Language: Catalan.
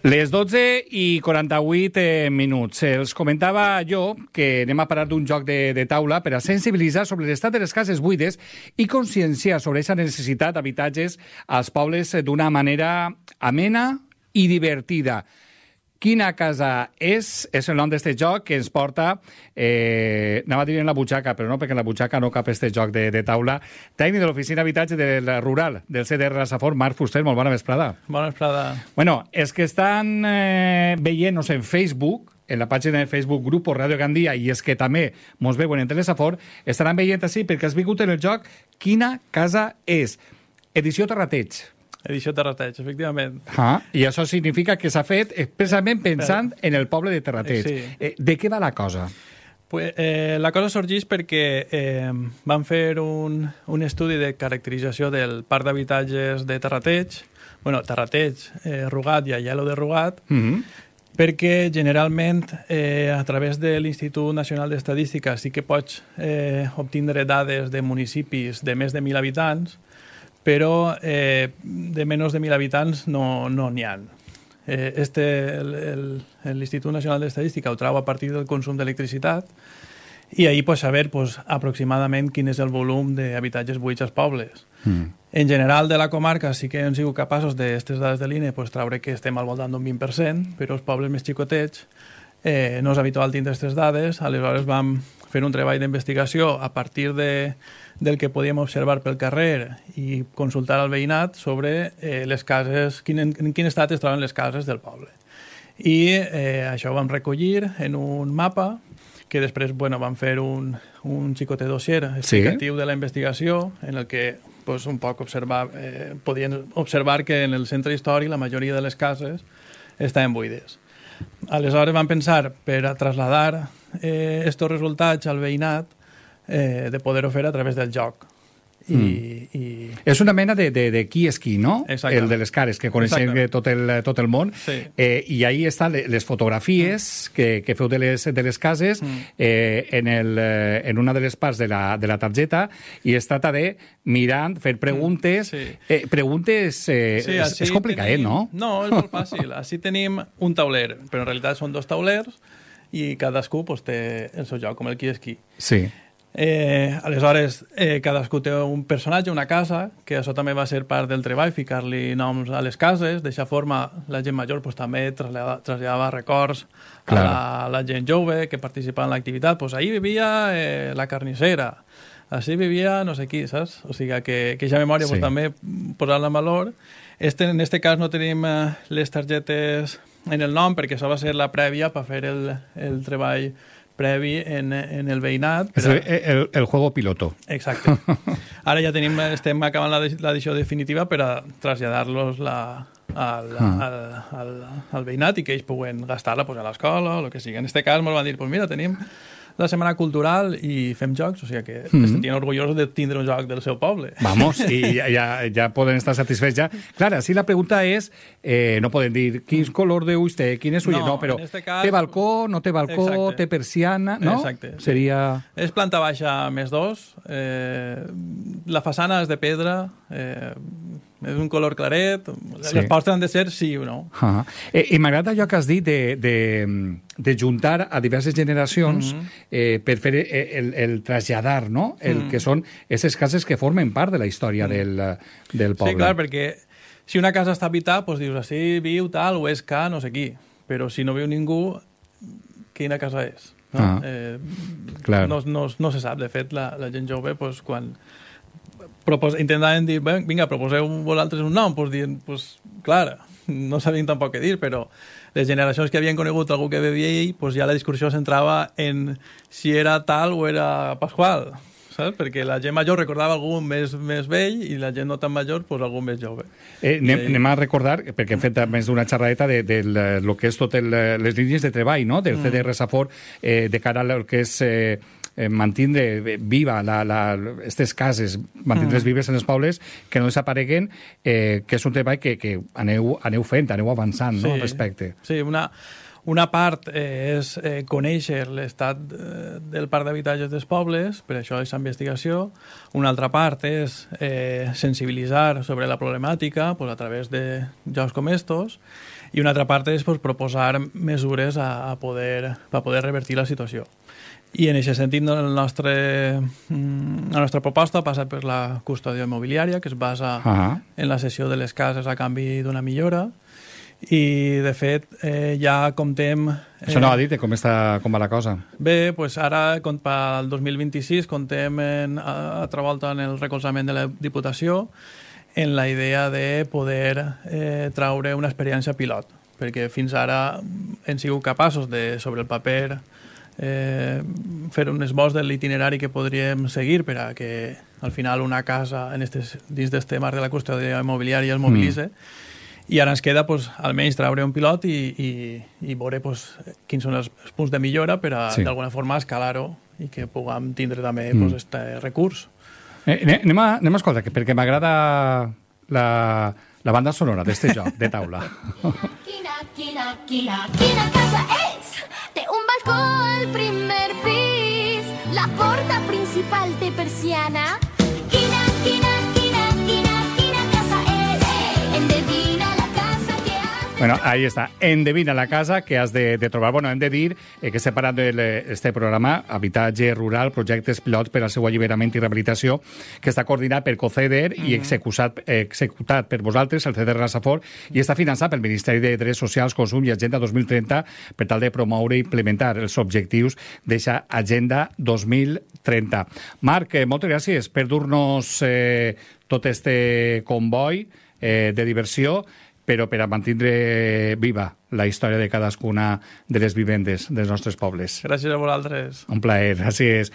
Les 12:48. Els comentava jo que anem a parar d'un joc de taula per a sensibilitzar sobre l'estat de les cases buides i conscienciar sobre aquesta necessitat d'habitatges als pobles d'una manera amena i divertida. Quina casa és el nom d'aquest joc que ens porta, anava a dir en la butxaca, però no, perquè en la butxaca no cap aquest joc de taula. Tècnic de l'Oficina d'Habitatge del Rural, del CDR La Safor, Marc Fuster, molt bona vesprada. Bona vesprada. Bueno, els que estan veient-nos en Facebook, en la pàgina de Facebook Grupo Radio Gandia, i és que també mos veuen en Telesafor, estaran veient així perquè has vingut en el joc Quina casa és? Edició Terrateig. Edició Terrateig, efectivament. I això significa que s'ha fet expressament pensant en el poble de Terrateig. Sí. De què va la cosa? La cosa sorgeix perquè van fer un estudi de caracterització del parc d'habitatges de Terrateig, Terrateig, Rugat i Aielo de Rugat, perquè generalment a través de l'Institut Nacional d'Estadística sí que pots obtindre dades de municipis de més de 1.000 habitants, però de menys de 1.000 habitants no n'hi ha. L'Institut Nacional d'Estadística ho trau a partir del consum d'electricitat i ahir pots saber aproximadament quin és el volum d'habitatges buits als pobles. En general de la comarca sí que hem sigut capaços d'aquestes dades de l'INE traure que estem al voltant d'un 20%, però els pobles més xicotets no és habitual tindre aquestes dades, aleshores vam fer un treball d'investigació a partir del que podíem observar pel carrer i consultar al veïnat sobre les cases, en quin estat es troben les cases del poble. I això ho vam recollir en un mapa que després vam fer un xicotet dossier explicatiu de la investigació en el que un poc podien observar que en el centre històric la majoria de les cases estaven buides. Aleshores vam pensar per a traslladar estos resultats al veïnat de poder-ho fer a través del joc. És una mena de qui és qui, no? Exactament. El de les cares, que coneixem tot el món. Sí. I ahí estan les fotografies que feu de les cases en una de les parts de la targeta, i es tracta de mirant, fer preguntes. Preguntes és complicat, no? No, és molt fàcil. Així tenim un tauler, però en realitat són dos taulers i cadascú té el seu joc, com el qui és qui. Sí. Aleshores, cadascú té un personatge, una casa, que això també va ser part del treball, ficar-li noms a les cases. D'aixa forma, la gent major també traslladava records a la gent jove que participava en l'activitat. Ahir vivia la carnissera, així vivia no sé qui, saps? O sigui que aquesta memòria també posar-la en valor. En aquest cas no tenim les targetes en el nom, perquè això va ser la prèvia per fer el treball previ en el veïnat. És el juego piloto. Exacte. Ara ja estem acabant l'edició definitiva per a traslladar-los al veïnat i que ells puguen gastar-la a l'escola o el que sigui. En aquest cas ens van dir, mira, tenim la Setmana Cultural i fem jocs, o sigui que es sentien orgullosos de tindre un joc del seu poble. Vamos, i ja poden estar satisfets ja. Clar, si la pregunta és, no poden dir quin color d'ulls té, quin és ull, no, però té balcó, no té balcó, té persiana, no? Exacte. Seria... És planta baixa +2, la façana és de pedra, és un color claret, les portes han de ser sí o no. I m'agrada allò que has dit de juntar a diverses generacions per fer el traslladar, no? El que són aquestes cases que formen part de la història del poble. Sí, clar, perquè si una casa està habitada, doncs dius, així viu tal, o és que no sé qui, però si no viu ningú, quina casa és? No se sap. De fet, la gent jove, quan intentaven dir, vinga, proposeu vosaltres un nom, clar, no sabien tampoc què dir, però les generacions que havien conegut algú que vivia ell, ja la discussió centrava en si era tal o era Pasqual, saps? Perquè la gent major recordava algú més vell i la gent no tan major, algú més jove. Anem a recordar, perquè hem fet més d'una xerradeta de lo que és totes les línies de treball, no? Del CDR Safor, de cara al que és mantindre viva aquestes cases, mantindre-les vives en els pobles, que no desapareguen, que és un treball que aneu fent, aneu avançant, no? Al respecte. Sí, una part és conèixer l'estat del parc d'habitatges dels pobles, per això és investigació. Una altra part és sensibilitzar sobre la problemàtica a través de jocs com estos. I una altra part és pues, proposar mesures a poder revertir la situació. I en aquest sentit la nostra proposta passa per la custòdia immobiliària, que es basa en la cessió de les cases a canvi d'una millora, i de fet ja comptem... Això no ha dit com va la cosa. Bé, doncs ara pel 2026 comptem altra volta en el recolzament de la Diputació en la idea de poder traure una experiència pilot, perquè fins ara hem sigut capaços de, sobre el paper, fer un esbós de l'itinerari que podríem seguir per a que al final una casa dins d'este marc de la custòdia immobiliària es mobilitze, i ara ens queda pues, almenys traure un pilot i veure pues, quins són els punts de millora per a d'alguna forma escalar-ho i que puguem tindre també aquest recurs. Anem a escoltar, perquè m'agrada la banda sonora d'este joc de taula. Quina casa és? Té un balcó al primer pis, la porta principal té persiana. Quina casa és? Endevina la casa que has de... Bueno, ahí está. Endevina la casa que has de trobar. Bueno, hem de dir que estem parlant d'aquest programa Habitatge Rural, projectes pilot per al seu alliberament i rehabilitació, que està coordinat per COCEDER i executat per vosaltres, el CEDER Rasafor, i està finançat pel Ministeri de Drets Socials, Consum i Agenda 2030 per tal de promoure i implementar els objectius d'aquesta Agenda 2030. Marc, moltes gràcies per dur-nos tot este comboi de diversió, però per a mantindre viva la història de cadascuna de les vivendes dels nostres pobles. Gràcies a vosaltres. Un plaer, gràcies.